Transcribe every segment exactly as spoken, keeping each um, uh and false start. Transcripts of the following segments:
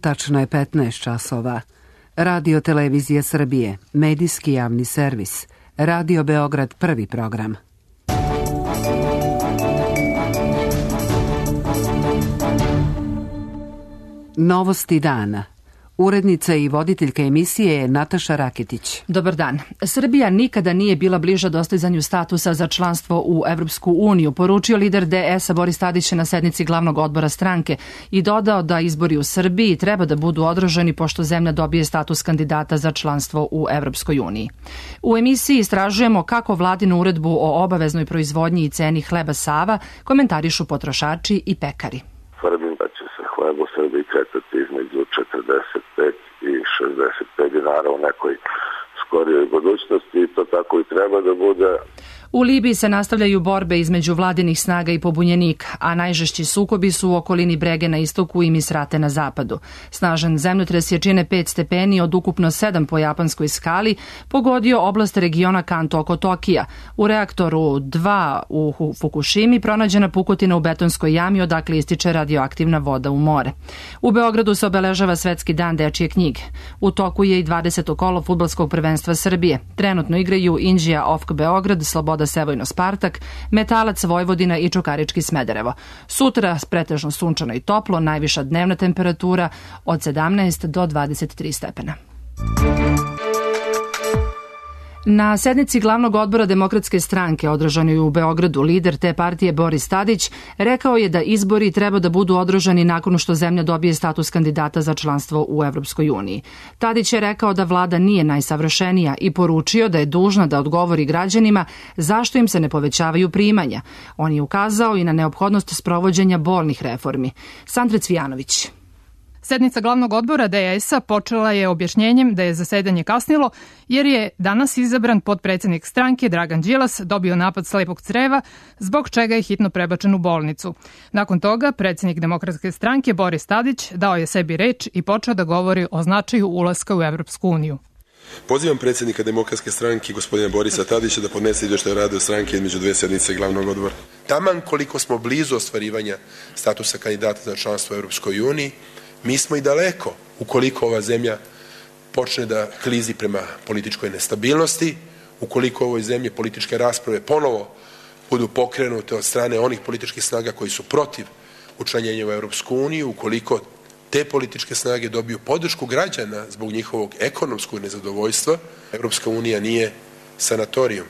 Tačno je petnaest časova. Radio Televizija Srbije, medijski javni servis. Radio Beograd, prvi program. Novosti dana. Urednica i voditeljka emisije je Nataša Raketić. Dobar dan. Srbija nikada nije bila bliža dostizanju statusa za članstvo u Evropsku uniju, poručio lider D S-a Boris Tadić na sednici glavnog odbora stranke i dodao da izbori u Srbiji treba da budu održani pošto zemlja dobije status kandidata za članstvo u Evropskoj uniji. U emisiji istražujemo kako vladinu uredbu o obaveznoj proizvodnji i ceni hleba Sava komentarišu potrošači i pekari. Tvrdim da će se hleb u Srbiji kretati između četrdeset pet i šezdeset pet dinara u nekoj skorijoj budućnosti i to tako i treba da bude. U Libiji se nastavljaju borbe između vladinih snaga i pobunjenika, a najžešći sukobi su u okolini Brege na istoku i Misrate na zapadu. Snažan zemljotres jačine pet stepeni od ukupno sedam po japanskoj skali pogodio oblast regiona Kanto oko Tokija. U reaktoru dva u Fukushimi pronađena pukotina u betonskoj jami odakle ističe radioaktivna voda u more. U Beogradu se obeležava Svetski dan dečije knjige. U toku je i dvadeseto kolo fudbalskog prvenstva Srbije. Trenutno igraju Inđija Ofk Beograd, Sloboda Sevojno Spartak, Metalac Vojvodina i Čukarički Smederevo. Sutra pretežno sunčano i toplo, najviša dnevna temperatura od sedamnaest do dvadeset tri stepena. Na sednici glavnog odbora Demokratske stranke održanoj u Beogradu lider te partije Boris Tadić rekao je da izbori treba da budu održani nakon što zemlja dobije status kandidata za članstvo u Evropskoj uniji. Tadić je rekao da vlada nije najsavršenija i poručio da je dužna da odgovori građanima zašto im se ne povećavaju primanja. On je ukazao i na neophodnost sprovođenja bolnih reformi. Sandra Cvijanović. Sednica glavnog odbora D S-a počela je objašnjenjem da je zasedanje kasnilo jer je danas izabran potpredsednik stranke Dragan Đilas dobio napad slepog creva, zbog čega je hitno prebačen u bolnicu. Nakon toga predsednik Demokratske stranke Boris Tadić dao je sebi reč i počeo da govori o značaju ulaska u Evropsku uniju. Pozivam predsjednika Demokratske stranke gospodina Borisa Tadića da podnese izveštaj o radu stranke između dve sednice glavnog odbora. Taman koliko smo blizu ostvarivanja statusa kandidata za članstvo u Evropskoj uniji, mi smo i daleko ukoliko ova zemlja počne da klizi prema političkoj nestabilnosti, ukoliko u ovoj zemlji političke rasprave ponovo budu pokrenute od strane onih političkih snaga koji su protiv učlanjenja u Evropsku uniju, ukoliko te političke snage dobiju podršku građana zbog njihovog ekonomskog nezadovoljstva, Evropska unija nije sanatorijum,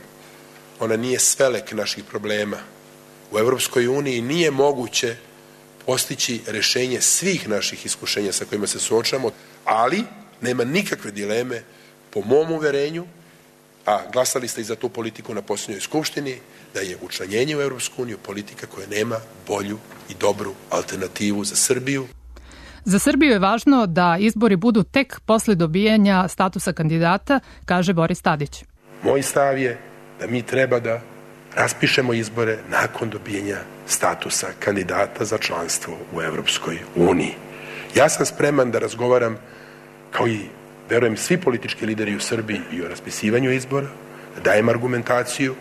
ona nije svelek naših problema. U Evropskoj uniji nije moguće postići rešenje svih naših iskušenja sa kojima se suočavamo, ali nema nikakve dileme, po mom uverenju, a glasali ste i za tu politiku na posljednjoj skupštini, da je učlanjenje u Evropsku uniju politika koja nema bolju i dobru alternativu za Srbiju. Za Srbiju je važno da izbori budu tek posle dobijanja statusa kandidata, kaže Boris Tadić. Moj stav je da mi treba da raspišemo izbore nakon dobijanja statusa kandidata za članstvo u Evropskoj uniji. Ja sam spreman da razgovaram, kao i, verujem, svi politički lideri u Srbiji i o raspisivanju izbora, da dajem argumentaciju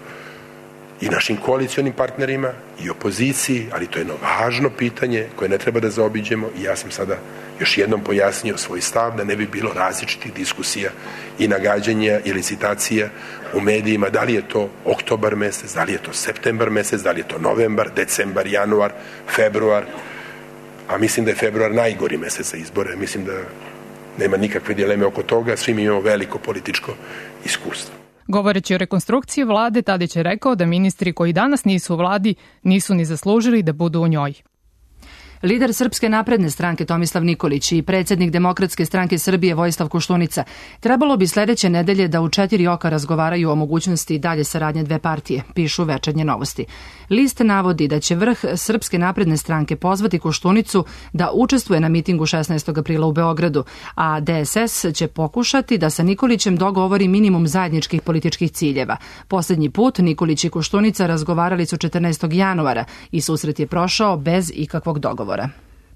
i našim koalicionim partnerima i opoziciji, ali to je jedno važno pitanje koje ne treba da zaobiđemo i ja sam sada još jednom pojasnio svoj stav da ne bi bilo različitih diskusija i nagađanja i licitacija u medijima, da li je to oktobar mesec, da li je to septembar mesec, da li je to novembar, decembar, januar, februar, a mislim da je februar najgori mesec za izbore, mislim da nema nikakve dileme oko toga, svi mi imamo veliko političko iskustvo. Govoreći o rekonstrukciji vlade, Tadić je rekao da ministri koji danas nisu u vladi nisu ni zaslužili da budu u njoj. Lider Srpske napredne stranke Tomislav Nikolić i predsjednik Demokratske stranke Srbije Vojislav Koštunica trebalo bi sledeće nedelje da u četiri oka razgovaraju o mogućnosti dalje saradnje dve partije, pišu Večernje novosti. List navodi da će vrh Srpske napredne stranke pozvati Koštunicu da učestvuje na mitingu šesnaestog aprila u Beogradu, a D S S će pokušati da sa Nikolićem dogovori minimum zajedničkih političkih ciljeva. Poslednji put Nikolić i Koštunica razgovarali su četrnaestog januara i susret je prošao bez ikakvog dogovora.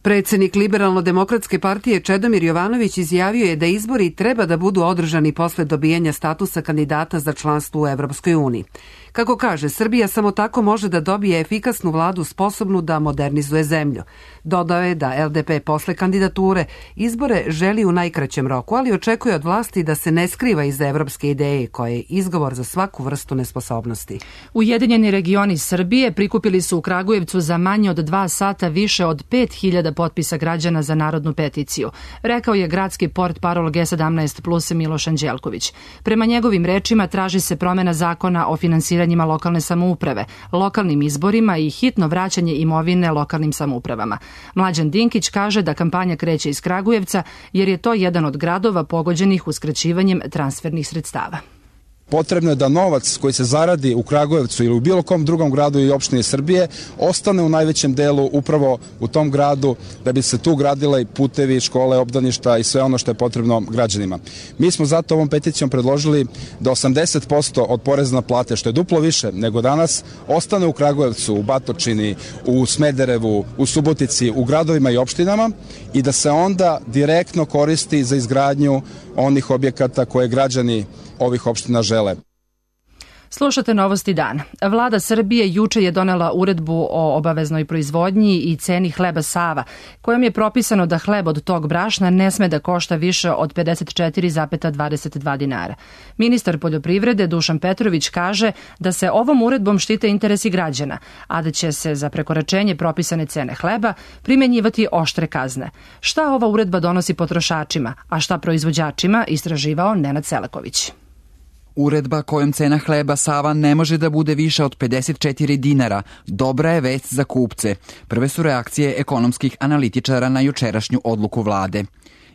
Predsjednik Liberalno-demokratske partije Čedomir Jovanović izjavio je da izbori treba da budu održani posle dobijanja statusa kandidata za članstvo u Evropskoj uniji. Kako kaže, Srbija samo tako može da dobije efikasnu vladu sposobnu da modernizuje zemlju. Dodao je da L D P posle kandidature izbore želi u najkraćem roku, ali očekuje od vlasti da se ne skriva iza evropske ideje koja je izgovor za svaku vrstu nesposobnosti. Ujedinjeni regioni Srbije prikupili su u Kragujevcu za manje od dva sata više od pet hiljada potpisa građana za narodnu peticiju, rekao je gradski portparol G sedamnaest plus Miloš Anđelković. Prema njegovim rečima traži se promena zakona o finansiranjima lokalne samouprave, lokalnim izborima i hitno vraćanje imovine lokalnim samoupravama. Mlađan Dinkić kaže da kampanja kreće iz Kragujevca jer je to jedan od gradova pogođenih uskraćivanjem transfernih sredstava. Potrebno je da novac koji se zaradi u Kragujevcu ili u bilo kom drugom gradu i opštini Srbije ostane u najvećem delu upravo u tom gradu da bi se tu gradile i putevi, škole, obdaništa i sve ono što je potrebno građanima. Mi smo zato ovom peticijom predložili da osamdeset posto od poreza na plate, što je duplo više nego danas, ostane u Kragujevcu, u Batočini, u Smederevu, u Subotici, u gradovima i opštinama i da se onda direktno koristi za izgradnju onih objekata koje građani ovih opština žele. Slušate Novosti dana. Vlada Srbije juče je donela uredbu o obaveznoj proizvodnji i ceni hleba Sava, kojom je propisano da hleb od tog brašna ne sme da košta više od pedeset četiri zarez dvadeset dva dinara. Ministar poljoprivrede Dušan Petrović kaže da se ovom uredbom štite interesi građana, a da će se za prekoračenje propisane cene hleba primenjivati oštre kazne. Šta ova uredba donosi potrošačima, a šta proizvođačima, istraživao Nenad Selaković. Uredba kojom cena hleba Sava ne može da bude više od pedeset četiri dinara dobra je vest za kupce. Prve su reakcije ekonomskih analitičara na jučerašnju odluku vlade.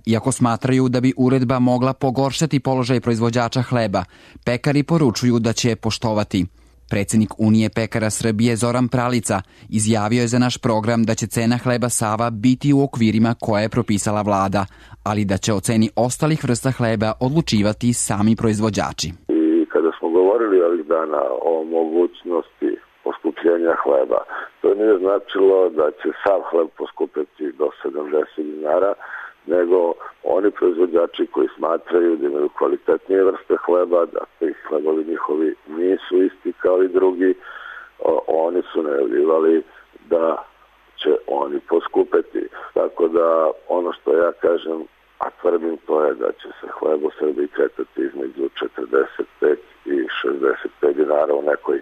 Iako smatraju da bi uredba mogla pogoršati položaj proizvođača hleba, pekari poručuju da će je poštovati. Predsednik Unije pekara Srbije Zoran Pralica izjavio je za naš program da će cena hleba Sava biti u okvirima koje je propisala vlada, ali da će o ceni ostalih vrsta hleba odlučivati sami proizvođači. I kada smo govorili ovih dana o mogućnosti poskupljenja hleba, to nije značilo da će sav hleb poskupiti do sedamdeset dinara, nego oni proizvođači koji smatraju da imaju kvalitetnije vrste hleba, da ti hlebovi njihovi nisu isti kao i drugi, oni su najavljivali da će oni poskupeti. Tako da ono što ja kažem, a tvrdim, to je da će se hleb u Srbiji kretati između četrdeset pet i šezdeset pet dinara u nekoj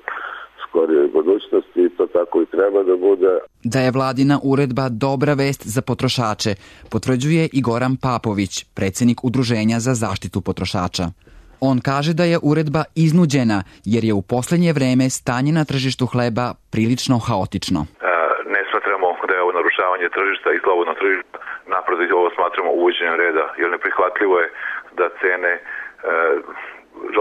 skorijoj budućnosti i to tako i treba da bude. Da je vladina uredba dobra vest za potrošače, potvrđuje i Goran Papović, predsednik Udruženja za zaštitu potrošača. On kaže da je uredba iznuđena jer je u poslednje vreme stanje na tržištu hleba prilično haotično. Ne smatramo da je ovo narušavanje tržišta i slobodno tržišta, naprotiv ovo smatramo uvođenjem reda, jer neprihvatljivo je da cene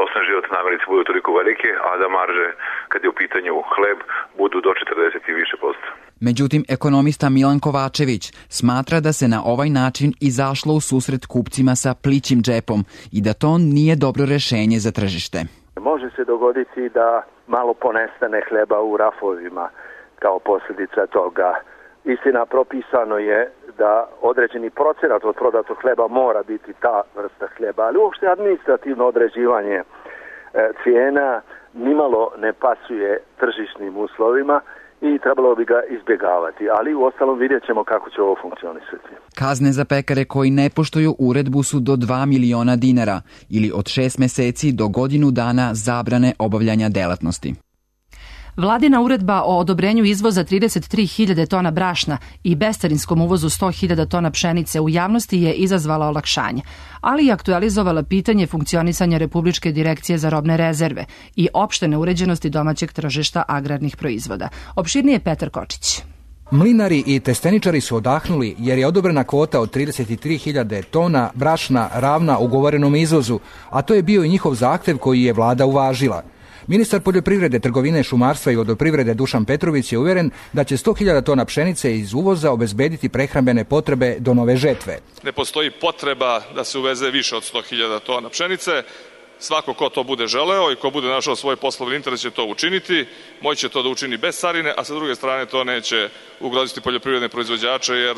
osnovne životne namirnice budu toliko velike, a da marže, kad je u pitanju hleb, budu do četrdeset i više posto. Međutim, ekonomista Milan Kovačević smatra da se na ovaj način izašlo u susret kupcima sa plićim džepom i da to nije dobro rešenje za tržište. Može se dogoditi da malo ponestane hleba u rafovima kao posljedica toga. Istina, propisano je da određeni procenat od prodatog hleba mora biti ta vrsta hleba, ali uopšte administrativno određivanje e, cijena nimalo ne pasuje tržišnim uslovima i trebalo bi ga izbjegavati, ali u ostalom vidjet ćemo kako će ovo funkcionisati. Kazne za pekare koji ne poštuju uredbu su do dva miliona dinara ili od šest meseci do godinu dana zabrane obavljanja delatnosti. Vladina uredba o odobrenju izvoza trideset tri hiljade tona brašna i bescarinskom uvozu sto hiljada tona pšenice u javnosti je izazvala olakšanje, ali i aktualizovala pitanje funkcionisanja Republičke direkcije za robne rezerve i opšte neuređenosti domaćeg tržišta agrarnih proizvoda. Opširnije Petar Kočić. Mlinari i testeničari su odahnuli jer je odobrena kvota od trideset tri hiljade tona brašna ravna ugovorenom izvozu, a to je bio i njihov zahtev koji je vlada uvažila. Ministar poljoprivrede, trgovine, šumarstva i vodoprivrede Dušan Petrović je uvjeren da će sto hiljada tona pšenice iz uvoza obezbediti prehrambene potrebe do nove žetve. Ne postoji potreba da se uveze više od sto hiljada tona pšenice. Svako ko to bude želeo i ko bude našao svoj poslovni interes će to učiniti, moći će to da učini bez carine, a sa druge strane to neće ugroziti poljoprivredne proizvođače jer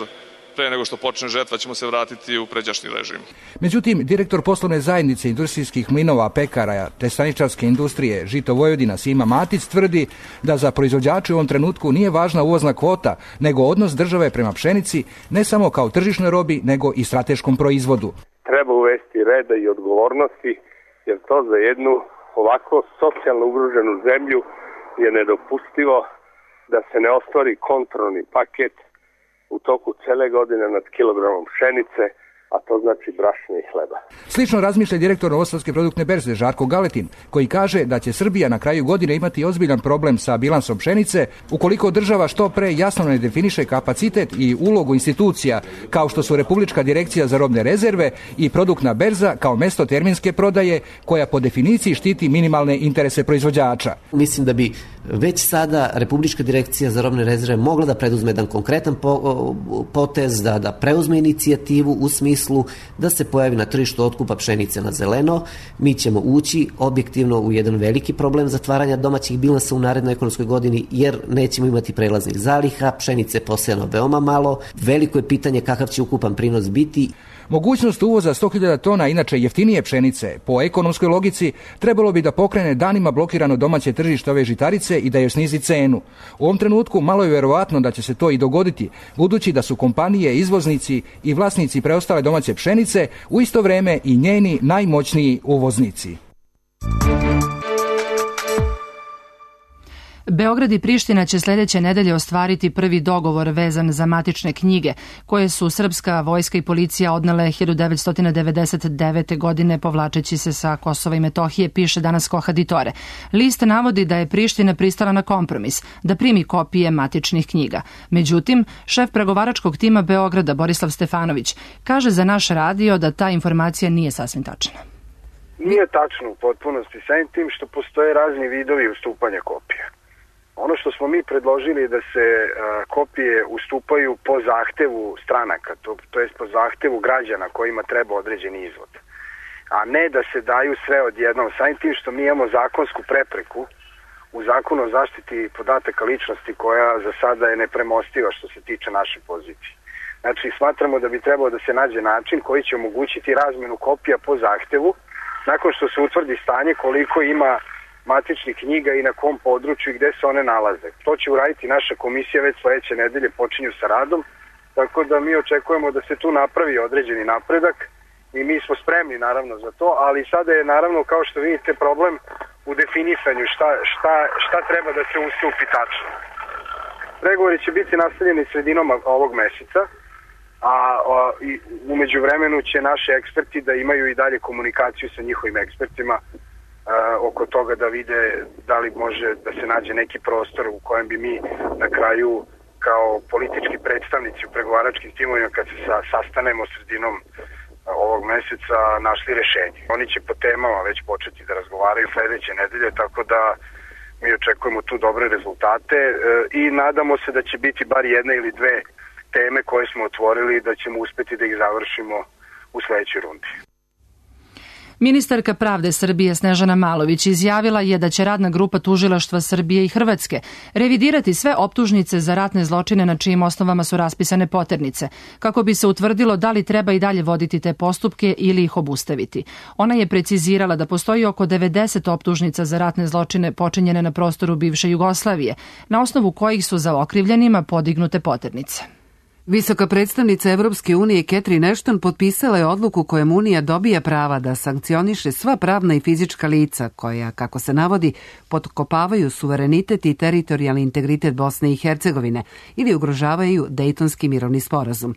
pre nego što počne žetva ćemo se vratiti u pređašnji režim. Međutim, direktor poslovne zajednice industrijskih mlinova, pekara te staničarske industrije Žito Vojvodina Sima Matić tvrdi da za proizvođače u ovom trenutku nije važna uvozna kvota, nego odnos države prema pšenici, ne samo kao tržišnoj robi, nego i strateškom proizvodu. Treba uvesti reda i odgovornosti, jer to za jednu ovako socijalno ugroženu zemlju je nedopustivo da se ne ostvari kontrolni paket u toku cele godine nad kilogramom pšenice, a to znači brašna i hleba. Slično razmišlja direktor Novosadske produktne berze Žarko Galetin, koji kaže da će Srbija na kraju godine imati ozbiljan problem sa bilansom pšenice ukoliko država što pre jasno ne definiše kapacitet i ulogu institucija kao što su Republička direkcija za robne rezerve i produktna berza kao mesto terminske prodaje koja po definiciji štiti minimalne interese proizvođača. Mislim da bi već sada Republička direkcija za robne rezerve mogla da preduzme jedan konkretan potez, da, da preuzme inicijativu u smislu da se pojavi na tržištu otkupa pšenice na zeleno. Mi ćemo ući objektivno u jedan veliki problem zatvaranja domaćih bilansa u narednoj ekonomskoj godini, jer nećemo imati prelaznih zaliha, pšenice posejano veoma malo, veliko je pitanje kakav će ukupan prinos biti. Mogućnost uvoza sto hiljada tona inače jeftinije pšenice, po ekonomskoj logici, trebalo bi da pokrene danima blokirano domaće tržište ove žitarice i da joj snizi cenu. U ovom trenutku malo je verovatno da će se to i dogoditi, budući da su kompanije, izvoznici i vlasnici preostale domaće pšenice u isto vreme i njeni najmoćniji uvoznici. Beograd i Priština će sljedeće nedelje ostvariti prvi dogovor vezan za matične knjige, koje su srpska vojska i policija odnele hiljadu devetsto devedeset devete. godine povlačeći se sa Kosova i Metohije, piše danas Kohaditore. List navodi da je Priština pristala na kompromis, da primi kopije matičnih knjiga. Međutim, šef pregovaračkog tima Beograda, Borislav Stefanović, kaže za naš radio da ta informacija nije sasvim tačna. Nije tačno u potpunosti, samim tim što postoje razni vidovi ustupanja kopija. Ono što smo mi predložili da se a, kopije ustupaju po zahtevu stranaka, to, to jest po zahtevu građana kojima treba određeni izvod, a ne da se daju sve odjednom, samim tim što mi imamo zakonsku prepreku u zakonu o zaštiti podataka ličnosti koja za sada je nepremostiva što se tiče naše pozicije. Znači, smatramo da bi trebalo da se nađe način koji će omogućiti razmenu kopija po zahtevu nakon što se utvrdi stanje koliko ima matičnih knjiga i na kom području i gde se one nalaze. To će uraditi naša komisija već sledeće nedelje, počinju sa radom, tako da mi očekujemo da se tu napravi određeni napredak i mi smo spremni naravno za to, ali sada je naravno kao što vidite problem u definisanju šta, šta, šta treba da se ustupi tačno. Pregovori će biti nastavljeni sredinom ovog meseca, a, a i umeđu vremenu će naši eksperti da imaju i dalje komunikaciju sa njihovim ekspertima Uh, oko toga da vide da li može da se nađe neki prostor u kojem bi mi na kraju kao politički predstavnici u pregovaračkim timovima kad se sa, sastanemo sredinom uh, ovog meseca našli rešenje. Oni će po temama već početi da razgovaraju sledeće nedelje, tako da mi očekujemo tu dobre rezultate uh, i nadamo se da će biti bar jedna ili dve teme koje smo otvorili da ćemo uspeti da ih završimo u sledećoj rundi. Ministarka pravde Srbije Snežana Malović izjavila je da će radna grupa tužilaštva Srbije i Hrvatske revidirati sve optužnice za ratne zločine na čijim osnovama su raspisane poternice, kako bi se utvrdilo da li treba i dalje voditi te postupke ili ih obustaviti. Ona je precizirala da postoji oko devedeset optužnica za ratne zločine počinjene na prostoru bivše Jugoslavije, na osnovu kojih su za okrivljenima podignute poternice. Visoka predstavnica Evropske unije Catherine Ashton potpisala je odluku kojom Unija dobija prava da sankcioniše sva pravna i fizička lica koja, kako se navodi, potkopavaju suverenitet i teritorijalni integritet Bosne i Hercegovine ili ugrožavaju Dejtonski mirovni sporazum.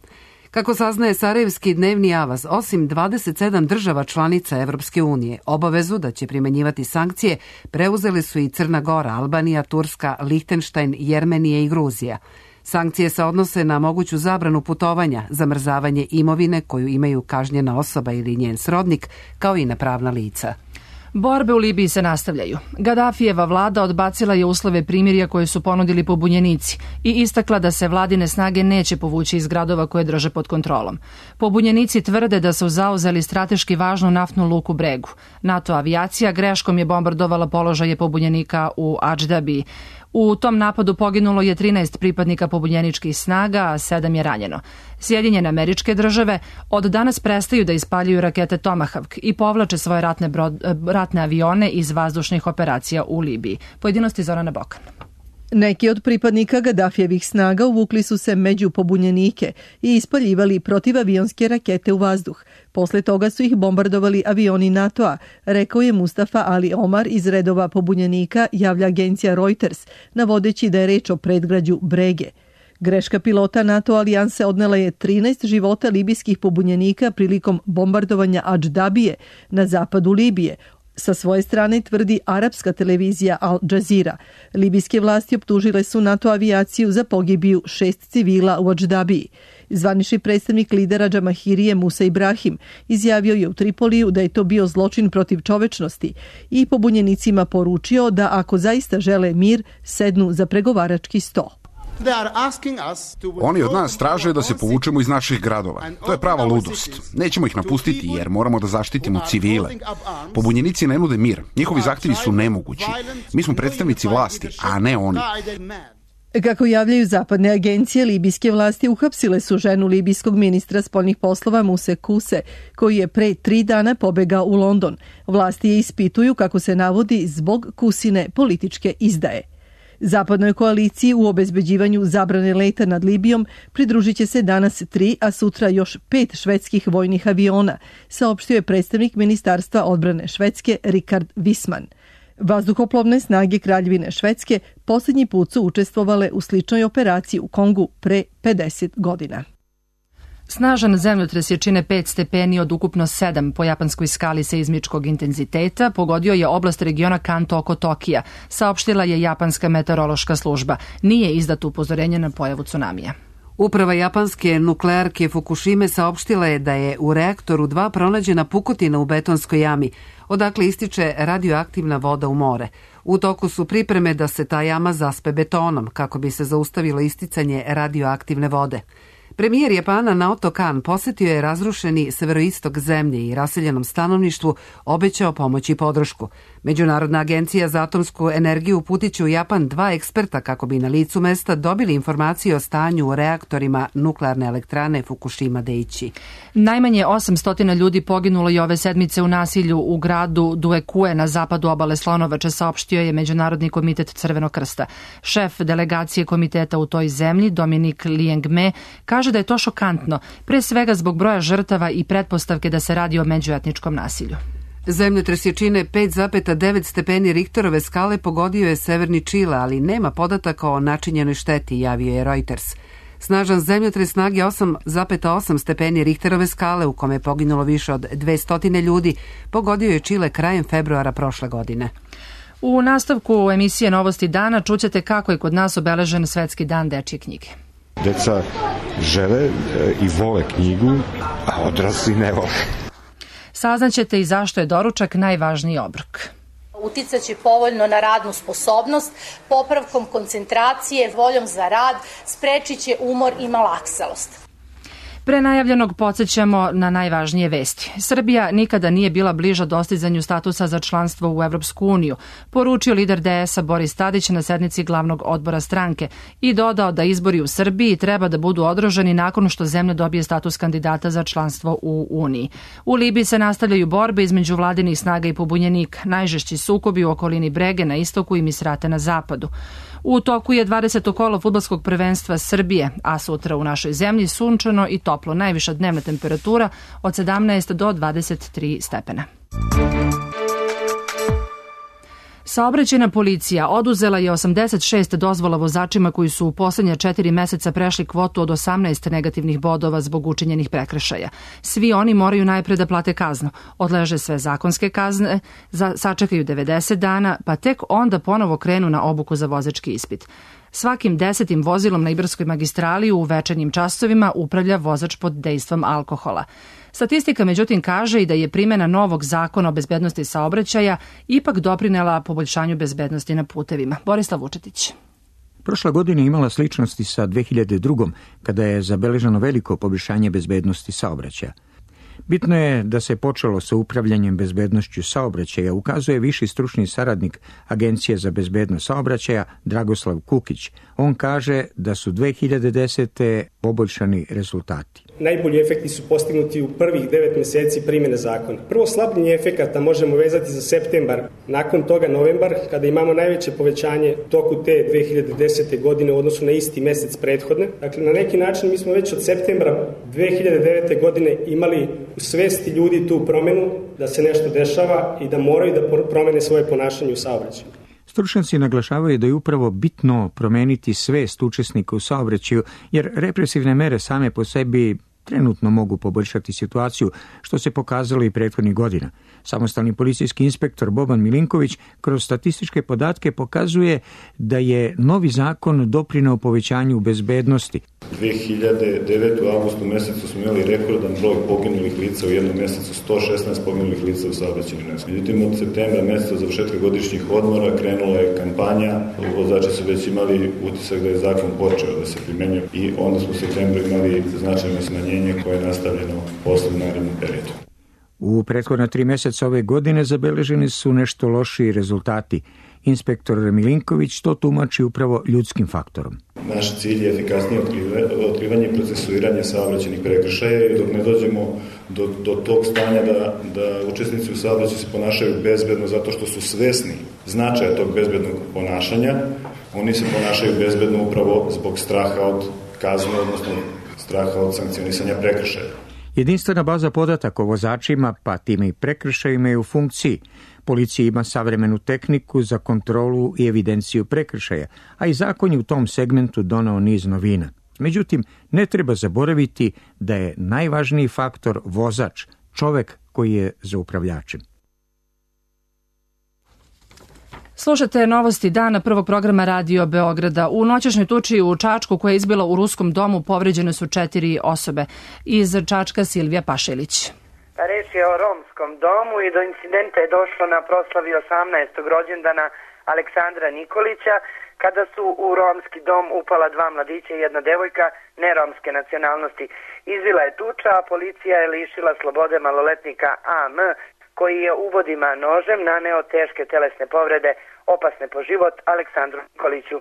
Kako saznaje Sarajevski dnevni avaz, osim dvadeset sedam država članica Evropske unije, obavezu da će primenjivati sankcije preuzeli su i Crna Gora, Albanija, Turska, Lihtenštajn, Jermenija i Gruzija. Sankcije se odnose na moguću zabranu putovanja, zamrzavanje imovine koju imaju kažnjena osoba ili njen srodnik, kao i na pravna lica. Borbe u Libiji se nastavljaju. Gadafijeva vlada odbacila je uslove primirja koje su ponudili pobunjenici i istakla da se vladine snage neće povući iz gradova koje drže pod kontrolom. Pobunjenici tvrde da su zauzeli strateški važnu naftnu luku Bregu. NATO avijacija greškom je bombardovala položaje pobunjenika u Adždabiji. U tom napadu poginulo je trinaest pripadnika pobunjeničkih snaga, a sedam je ranjeno. Sjedinjene Američke Države od danas prestaju da ispaljuju rakete Tomahawk i povlače svoje ratne, brod, ratne avione iz vazdušnih operacija u Libiji. Pojedinosti Zorana Bokan. Neki od pripadnika Gadafijevih snaga uvukli su se među pobunjenike i ispaljivali protivavionske rakete u vazduh. Posle toga su ih bombardovali avioni NATO-a, rekao je Mustafa Ali Omar iz redova pobunjenika, javlja agencija Reuters, navodeći da je reč o predgrađu Brege. Greška pilota NATO alijanse odnela je trinaest života libijskih pobunjenika prilikom bombardovanja Adždabije na zapadu Libije. Sa svoje strane tvrdi arapska televizija Al Jazeera. Libijske vlasti optužile su NATO avijaciju za pogibiju šest civila u Adždabiji. Zvanični predstavnik lidera Džamahirije Musa Ibrahim izjavio je u Tripoliju da je to bio zločin protiv čovečnosti i pobunjenicima poručio da ako zaista žele mir, sednu za pregovarački sto. Oni od nas traže da se povučemo iz naših gradova. To je prava ludost. Nećemo ih napustiti jer moramo da zaštitimo civile. Pobunjenici ne nude mir. Njihovi zahtjevi su nemogući. Mi smo predstavnici vlasti, a ne oni. Kako javljaju zapadne agencije, libijske vlasti uhapsile su ženu libijskog ministra spoljnih poslova Muse Kuse, koji je pre tri dana pobegao u London. Vlasti je ispituju, kako se navodi, zbog Kusine političke izdaje. Zapadnoj koaliciji u obezbeđivanju zabrane leta nad Libijom pridružit će se danas tri, a sutra još pet švedskih vojnih aviona, saopštio je predstavnik Ministarstva odbrane Švedske Richard Wisman. Vazduhoplovne snage Kraljevine Švedske posljednji put su učestvovale u sličnoj operaciji u Kongu pre pedeset godina. Snažan zemljotres jačine pet stepeni od ukupno sedam po japanskoj skali seizmičkog intenziteta pogodio je oblast regiona Kanto oko Tokija, saopštila je japanska meteorološka služba. Nije izdato upozorenje na pojavu tsunamija. Uprava japanske nuklearke Fukushime saopštila je da je u reaktoru dva pronađena pukotina u betonskoj jami, odakle ističe radioaktivna voda u more. U toku su pripreme da se ta jama zaspe betonom, kako bi se zaustavilo isticanje radioaktivne vode. Premijer Japana Naoto Kan posetio je razrušeni severoistok zemlje i raseljenom stanovništvu obećao pomoć i podršku. Međunarodna agencija za atomsku energiju uputit će u Japan dva eksperta kako bi na licu mesta dobili informacije o stanju u reaktorima nuklearne elektrane Fukushima Daiichi. Najmanje osamsto ljudi poginulo i ove sedmice u nasilju u gradu Duekue na zapadu obale Slonovače, saopštio je Međunarodni komitet Crvenog krsta. Šef delegacije komiteta u toj zemlji, Dominik Liengme, kaže da je to šokantno, pre svega zbog broja žrtava i pretpostavke da se radi o međuetničkom nasilju. Zemljotres jačine pet zarez devet stepeni Richterove skale pogodio je severni Čile, ali nema podataka o načinjenoj šteti, javio je Reuters. Snažan zemljotres snage osam zarez osam stepeni Richterove skale, u kome je poginulo više od dvesta ljudi, pogodio je Čile krajem februara prošle godine. U nastavku emisije Novosti dana čućete kako je kod nas obeležen Svetski dan dečje knjige. Deca žele i vole knjigu, a odrasli ne vole. Saznaćete i zašto je doručak najvažniji obrok. Uticaće povoljno na radnu sposobnost, popravkom koncentracije, voljom za rad, sprečit će umor i malaksalost. Pre najavljenog podsjećamo na najvažnije vesti. Srbija nikada nije bila bliža dostizanju statusa za članstvo u Evropsku uniju, poručio lider D S A Boris Tadić na sednici glavnog odbora stranke i dodao da izbori u Srbiji treba da budu održani nakon što zemlja dobije status kandidata za članstvo u Uniji. U Libiji se nastavljaju borbe između vladinih snaga i pobunjenika, najžešći sukobi u okolini Brege na istoku i Misrate na zapadu. U toku je dvadeseto kolo fudbalskog prvenstva Srbije, a sutra u našoj zemlji sunčano i toplo, najviša dnevna temperatura od sedamnaest do dvadeset tri stepena. Saobraćajna policija oduzela je osamdeset šest dozvola vozačima koji su u poslednja četiri meseca prešli kvotu od osamnaest negativnih bodova zbog učinjenih prekršaja. Svi oni moraju najpre da plate kaznu, odleže sve zakonske kazne, za, sačekaju devedeset dana, pa tek onda ponovo krenu na obuku za vozački ispit. Svakim desetim vozilom na Ibarskoj magistrali u večernjim časovima upravlja vozač pod dejstvom alkohola. Statistika međutim kaže i da je primjena novog zakona o bezbednosti saobraćaja ipak doprinela poboljšanju bezbednosti na putevima. Borislav Vučetić. Prošla godina imala sličnosti sa dve hiljade druge. kada je zabeleženo veliko poboljšanje bezbednosti saobraćaja. Bitno je da se počelo sa upravljanjem bezbednošću saobraćaja, ukazuje viši stručni saradnik Agencije za bezbednost saobraćaja Dragoslav Kukić. On kaže da su dve hiljade desete poboljšani rezultati. Najbolji efekti su postignuti u prvih devet meseci primjene zakona. Prvo slabljenje efekata možemo vezati za septembar, nakon toga novembar, kada imamo najveće povećanje toku te dve hiljade desete godine u odnosu na isti mesec prethodne. Dakle, na neki način mi smo već od septembra dve hiljade devete godine imali u svesti ljudi tu promenu da se nešto dešava i da moraju da promene svoje ponašanje u saobraćaju. Stručnjaci naglašavaju da je upravo bitno promeniti svest učesnika u saobraćaju, jer represivne mere same po sebi trenutno mogu poboljšati situaciju, što se pokazalo i prethodnih godina. Samostalni policijski inspektor Boban Milinković kroz statističke podatke pokazuje da je novi zakon doprineo povećanju bezbednosti. dve hiljade devete. u avgustu mesecu smo imali rekordan broj poginulih lica u jednom mesecu, sto šesnaest poginulih lica u saobraćajnim nesrećama. Međutim, od septembra meseca završetka godišnjih odmora krenula je kampanja, vozači su već imali utisak da je zakon počeo da se primenjuje i onda smo u septembru imali značajno smanjenje koje je nastavljeno posle u narednom periodu. U prethodna tri meseca ove godine zabeleženi su nešto lošiji rezultati. Inspektor Milinković to tumači upravo ljudskim faktorom. Naš cilj je efikasnije otkrivanje i procesuiranje saobraćajnih prekršaja i dok ne dođemo do, do tog stanja da, da učesnici u saobraćaju se ponašaju bezbedno zato što su svesni značaja tog bezbednog ponašanja, oni se ponašaju bezbedno upravo zbog straha od kazne, odnosno straha od sankcionisanja prekršaja. Jedinstvena baza podataka o vozačima, pa time i prekršajima je u funkciji. Policija ima savremenu tehniku za kontrolu i evidenciju prekršaja, a i zakon je u tom segmentu doneo niz novina. Međutim, ne treba zaboraviti da je najvažniji faktor vozač, čovek koji je za upravljačem. Slušate novosti dana prvog programa Radio Beograda. U noćašnjoj tuči u Čačku koja je izbila u Ruskom domu povređene su četiri osobe. Iz Čačka Silvija Pašelić. Reč je o romskom domu i do incidenta je došlo na proslavi osamnaestog rođendana Aleksandra Nikolića, kada su u romski dom upala dva mladića i jedna devojka neromske nacionalnosti. Izbila je tuča, a policija je lišila slobode maloletnika A M, koji je uvodima nožem naneo teške telesne povrede, opasne po život, Aleksandru Nikoliću.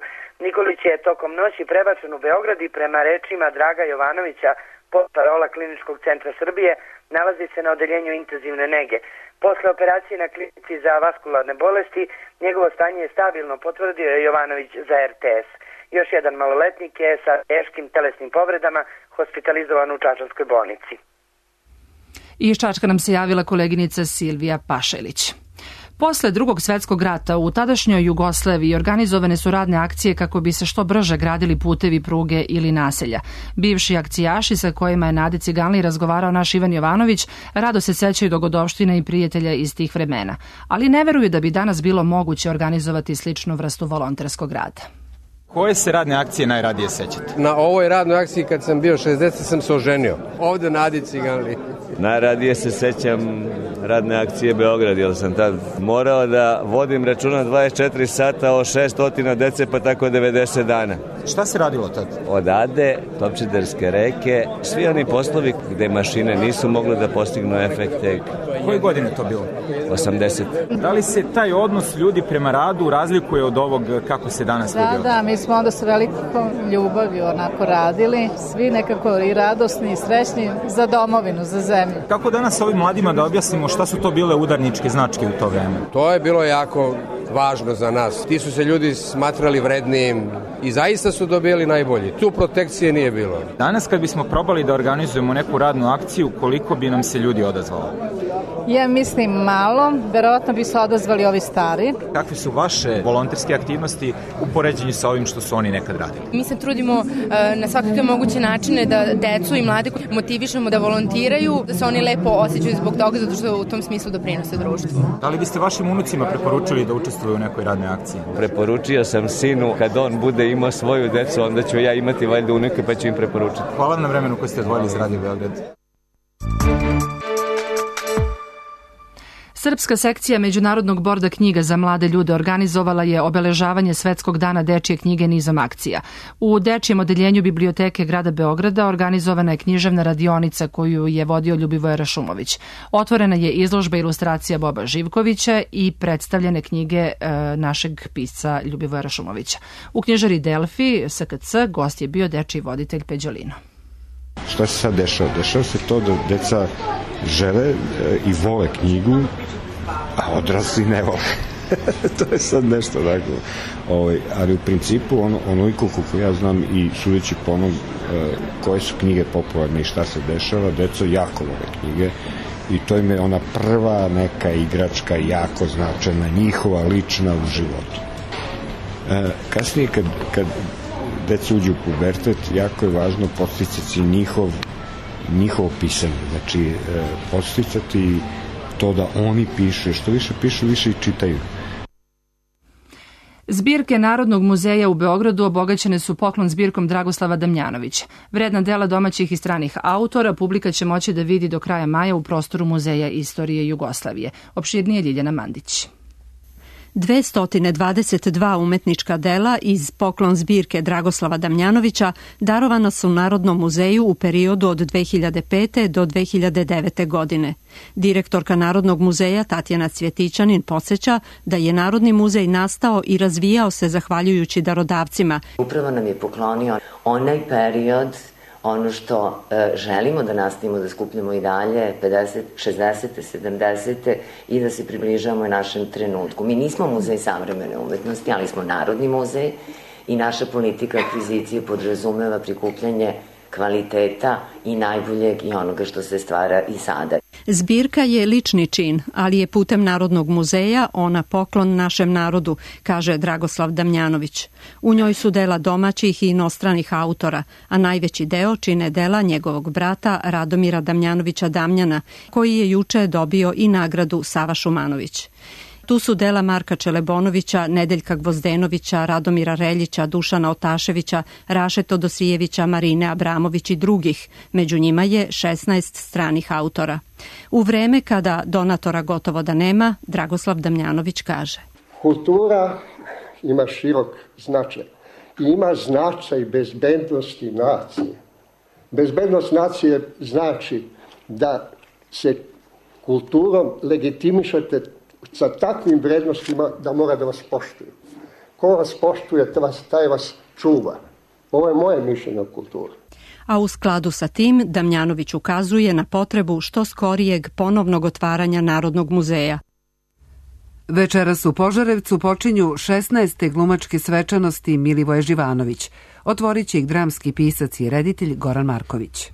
Nikolić je tokom noći prebačen u Beograd i prema rečima Draga Jovanovića, portparola Kliničkog centra Srbije, nalazi se na odeljenju intenzivne nege. Posle operacije na klinici za vaskularne bolesti, njegovo stanje je stabilno, potvrdio je Jovanović za R T S. Još jedan maloletnik je sa teškim telesnim povredama hospitalizovan u Čačanskoj bolnici. Iz Čačka nam se javila koleginica Silvija Pašelić. Posle drugog svetskog rata u tadašnjoj Jugoslaviji organizovane su radne akcije kako bi se što brže gradili putevi, pruge ili naselja. Bivši akcijaši sa kojima je Nade Ciganli razgovarao naš Ivan Jovanović rado se sećaju dogodovština i prijatelja iz tih vremena, ali ne veruju da bi danas bilo moguće organizovati sličnu vrstu volonterskog rada. Koje se radne akcije najradije sećate? Na ovoj radnoj akciji kad sam bio šezdeset sam se oženio. Ovde Nadi Ciganli. Najradije se sećam radne akcije Beograd, jer sam tad morao da vodim računa dvadeset četiri sata o šesnaest dece, pa tako devedeset dana. Šta se radilo tad? Od Ade, Topčiderske reke, svi oni poslovi gde mašine nisu mogle da postignu efekte. Koje godine to bilo? osamdeset. Da li se taj odnos ljudi prema radu razlikuje od ovog kako se danas da, vidio? Da, mi smo onda s velikom ljubavi onako radili, svi nekako i radosni i srećni za domovinu, za zemlju. Kako danas ovim mladima da objasnimo šta su to bile udarničke značke u to vreme? To je bilo jako važno za nas. Ti su se ljudi smatrali vrednijim i zaista su dobili najbolji. Tu protekcije nije bilo. Danas kad bismo probali da organizujemo neku radnu akciju, koliko bi nam se ljudi odazvalo? Ja mislim malo, verovatno bi se odazvali ovi stari. Kakve su vaše volonterske aktivnosti u poređenju sa ovim što su oni nekad radili? Mi se trudimo na svakakve moguće načine da decu i mlade motivišemo da volontiraju, da se oni lepo osjećaju zbog toga, zato što u tom smislu doprinose društvu. Da li biste vašim unucima preporučili da učestvuju u nekoj radnoj akciji? Preporučio sam sinu, kad on bude imao svoju decu, onda ću ja imati valjda unuke, pa ću im preporučiti. Hvala na vremenu koje ste odvojili za Radio Beograd. Srpska sekcija Međunarodnog borda knjiga za mlade ljude organizovala je obeležavanje Svetskog dana dečije knjige nizom akcija. U dečijem odeljenju biblioteke grada Beograda organizovana je književna radionica koju je vodio Ljubivoje Rašumović. Otvorena je izložba ilustracija Boba Živkovića i predstavljene knjige e, našeg pisca Ljubivoja Rašumovića. U knjižari Delfi S K C gost je bio dečiji voditelj Peđolino. Šta se sad dešava? Dešava se to da deca žele i vole knjigu, a odrasli ne vole. To je sad nešto tako. Ovaj, ali u principu, ono, onoliko koliko ja znam i sudeći po onom koje su knjige popularne i šta se dešava, deca jako vole knjige i to im je ona prva neka igračka jako značajna, njihova, lična u životu. E, kasnije kad, kad deca uđu u pubertet, jako je važno podsticati njihov, njihovo pisanje. Znači, e, podsticati to da oni piše. Što više pišu, više i čitaju. Zbirke Narodnog muzeja u Beogradu obogaćene su poklon zbirkom Dragoslava Damjanovića. Vredna dela domaćih i stranih autora publika će moći da vidi do kraja maja u prostoru Muzeja istorije Jugoslavije. Opširnije Ljiljana Mandić. dvesta dvadeset dva umetnička dela iz poklon zbirke Dragoslava Damjanovića darovana su Narodnom muzeju u periodu od dve hiljade pete do dve hiljade devete. godine. Direktorka Narodnog muzeja Tatjana Cvjetićanin podsjeća da je Narodni muzej nastao i razvijao se zahvaljujući darodavcima. Upravo nam je poklonio onaj period, ono što e, želimo da nastavimo da skupljamo i dalje, pedeset, šezdesete, sedamdesete i da se približavamo i našem trenutku. Mi nismo muzej savremene umetnosti, ali smo Narodni muzej i naša politika akvizicije podrazumeva prikupljanje kvaliteta i najboljeg i onoga što se stvara i sada. Zbirka je lični čin, ali je putem Narodnog muzeja ona poklon našem narodu, kaže Dragoslav Damjanović. U njoj su dela domaćih i inostranih autora, a najveći deo čine dela njegovog brata Radomira Damjanovića Damjana, koji je juče dobio i nagradu Sava Šumanović. Tu su dela Marka Čelebonovića, Nedeljka Gvozdenovića, Radomira Reljića, Dušana Otaševića, Raše Todosijevića, Marine Abramović i drugih. Među njima je šesnaest stranih autora. U vreme kada donatora gotovo da nema, Dragoslav Damjanović kaže: Kultura ima širok značaj i ima značaj bezbednosti nacije. Bezbednost nacije znači da se kulturom legitimišete sa takvim vrednostima da mora da vas poštuje. Ko vas poštuje, taj vas čuva. Ovo je moje mišljenje o kulturi. A u skladu sa tim, Damjanović ukazuje na potrebu što skorijeg ponovnog otvaranja Narodnog muzeja. Večeras u Požarevcu počinju šesnaeste glumačke svečanosti Milivoje Živanović. Otvorit će ih dramski pisac i reditelj Goran Marković.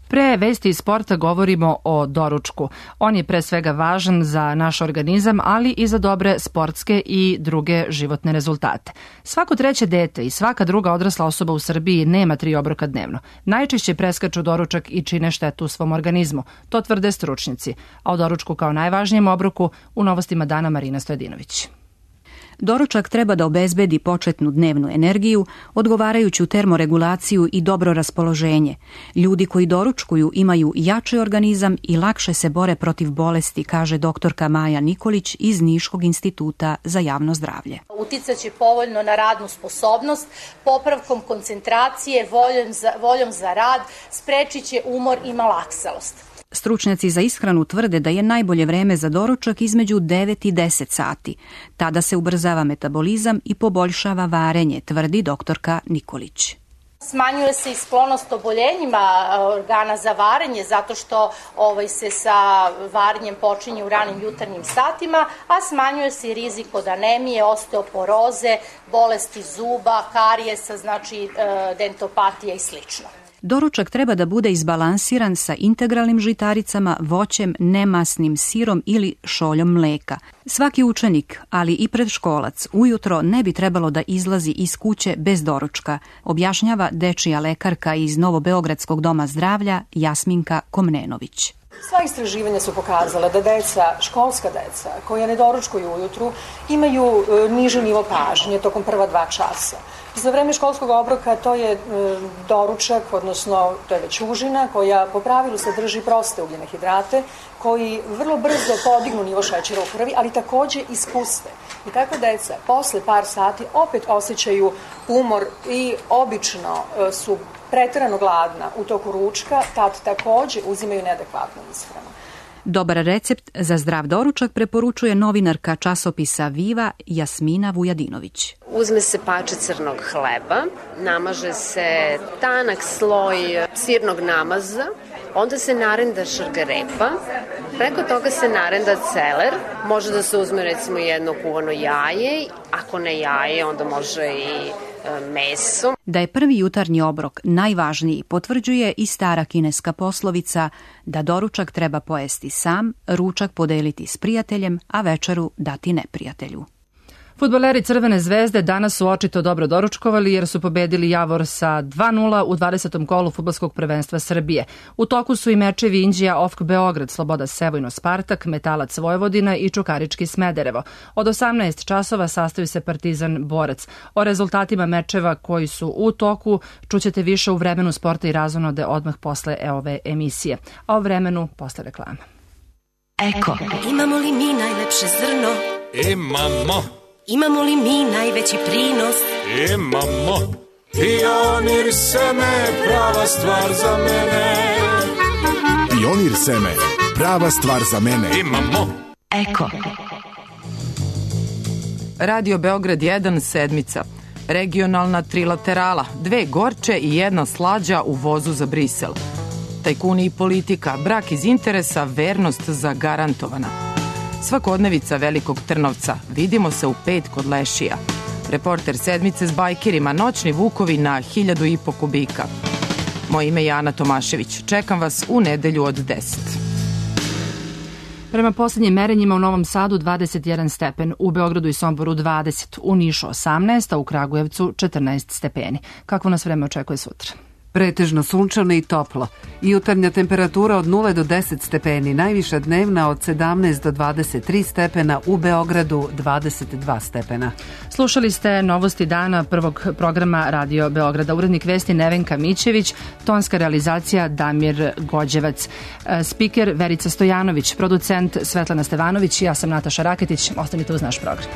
Pre vesti iz sporta govorimo o doručku. On je pre svega važan za naš organizam, ali i za dobre sportske i druge životne rezultate. Svako treće dete i svaka druga odrasla osoba u Srbiji nema tri obroka dnevno. Najčešće preskaču doručak i čine štetu svom organizmu. To tvrde stručnjaci. A o doručku kao najvažnijem obroku u novostima dana Marina Stojadinović. Doručak treba da obezbedi početnu dnevnu energiju, odgovarajuću termoregulaciju i dobro raspoloženje. Ljudi koji doručkuju imaju jači organizam i lakše se bore protiv bolesti, kaže doktorka Maja Nikolić iz Niškog instituta za javno zdravlje. Uticaće povoljno na radnu sposobnost, popravkom koncentracije, voljom za, voljom za rad, sprečit će umor i malaksalost. Stručnjaci za ishranu tvrde da je najbolje vreme za doručak između devet i deset sati. Tada se ubrzava metabolizam i poboljšava varenje, tvrdi doktorka Nikolić. Smanjuje se i sklonost oboljenjima organa za varenje zato što ovaj, se sa varenjem počinje u ranim jutarnjim satima, a smanjuje se i rizik od anemije, osteoporoze, bolesti zuba, karijesa, znači dentopatija i slično. Doručak treba da bude izbalansiran sa integralnim žitaricama, voćem, nemasnim sirom ili šoljom mleka. Svaki učenik, ali i predškolac, ujutro ne bi trebalo da izlazi iz kuće bez doručka, objašnjava dečija lekarka iz Novobeogradskog doma zdravlja Jasminka Komnenović. Sva istraživanja su pokazala da deca, školska deca, koja ne doručkuju ujutru, imaju niži nivo pažnje tokom prva dva časa. Za vreme školskog obroka to je e, doručak, odnosno to je već užina koja po pravilu sadrži proste ugljene hidrate koji vrlo brzo podignu nivo šećera u krvi, ali takođe ispuste. I takva deca posle par sati opet osjećaju umor i obično e, su preterano gladna u toku ručka, tad takođe uzimaju neadekvatnu ishranu. Dobar recept za zdrav doručak preporučuje novinarka časopisa Viva Jasmina Vujadinović. Uzme se pače crnog hleba, namaže se tanak sloj sirnog namaza, onda se narenda šargarepa, preko toga se narenda celer, može da se uzme recimo jedno kuvano jaje, ako ne jaje onda može i meso. Da je prvi jutarnji obrok najvažniji potvrđuje i stara kineska poslovica da doručak treba pojesti sam, ručak podeliti s prijateljem, a večeru dati neprijatelju. Fudbaleri Crvene zvezde danas su očito dobro doručkovali jer su pobedili Javor sa dva nula u dvadesetom kolu fudbalskog prvenstva Srbije. U toku su i mečevi Inđija Ofk Beograd, Sloboda Sevojno Spartak, Metalac Vojvodina i Čukarički Smederevo. Od osamnaest časova sastaju se Partizan Borac. O rezultatima mečeva koji su u toku čućete više u vremenu sporta i razonode odmah posle ove emisije. A o vremenu posle reklama. Eko. Imamo li mi najlepše zrno? Imamo. Imamo li mi najveći prinos? Imamo. Pionir seme, prava stvar za mene. Pionir seme, prava stvar za mene. Imamo. Eko. Radio Beograd jedan, sedmica. Regionalna trilaterala, dve gorče i jedna slađa u vozu za Brisel. Tajkuni i politika, brak iz interesa, vernost zagarantovana. Svakodnevica Velikog Trnovca, vidimo se u pet kod Lešija. Reporter sedmice s bajkerima, noćni vukovi na hiljadu i po kubika. Moje ime je Ana Tomašević, čekam vas u nedelju od deset. Prema poslednjim merenjima u Novom Sadu dvadeset jedan stepen, u Beogradu i Somboru dvadeset, u Nišu osamnaest, a u Kragujevcu četrnaest stepeni. Kakvo nas vreme očekuje sutra? Pretežno sunčano i toplo. Jutarnja temperatura od nula do deset stepeni, najviša dnevna od sedamnaest do dvadeset tri stepena, u Beogradu dvadeset dva stepena. Slušali ste novosti dana prvog programa Radio Beograda. Urednik vesti Nevenka Mićević, tonska realizacija Damir Gođevac, spiker Verica Stojanović, producent Svetlana Stevanović, ja sam Nataša Raketić. Ostanite uz naš program.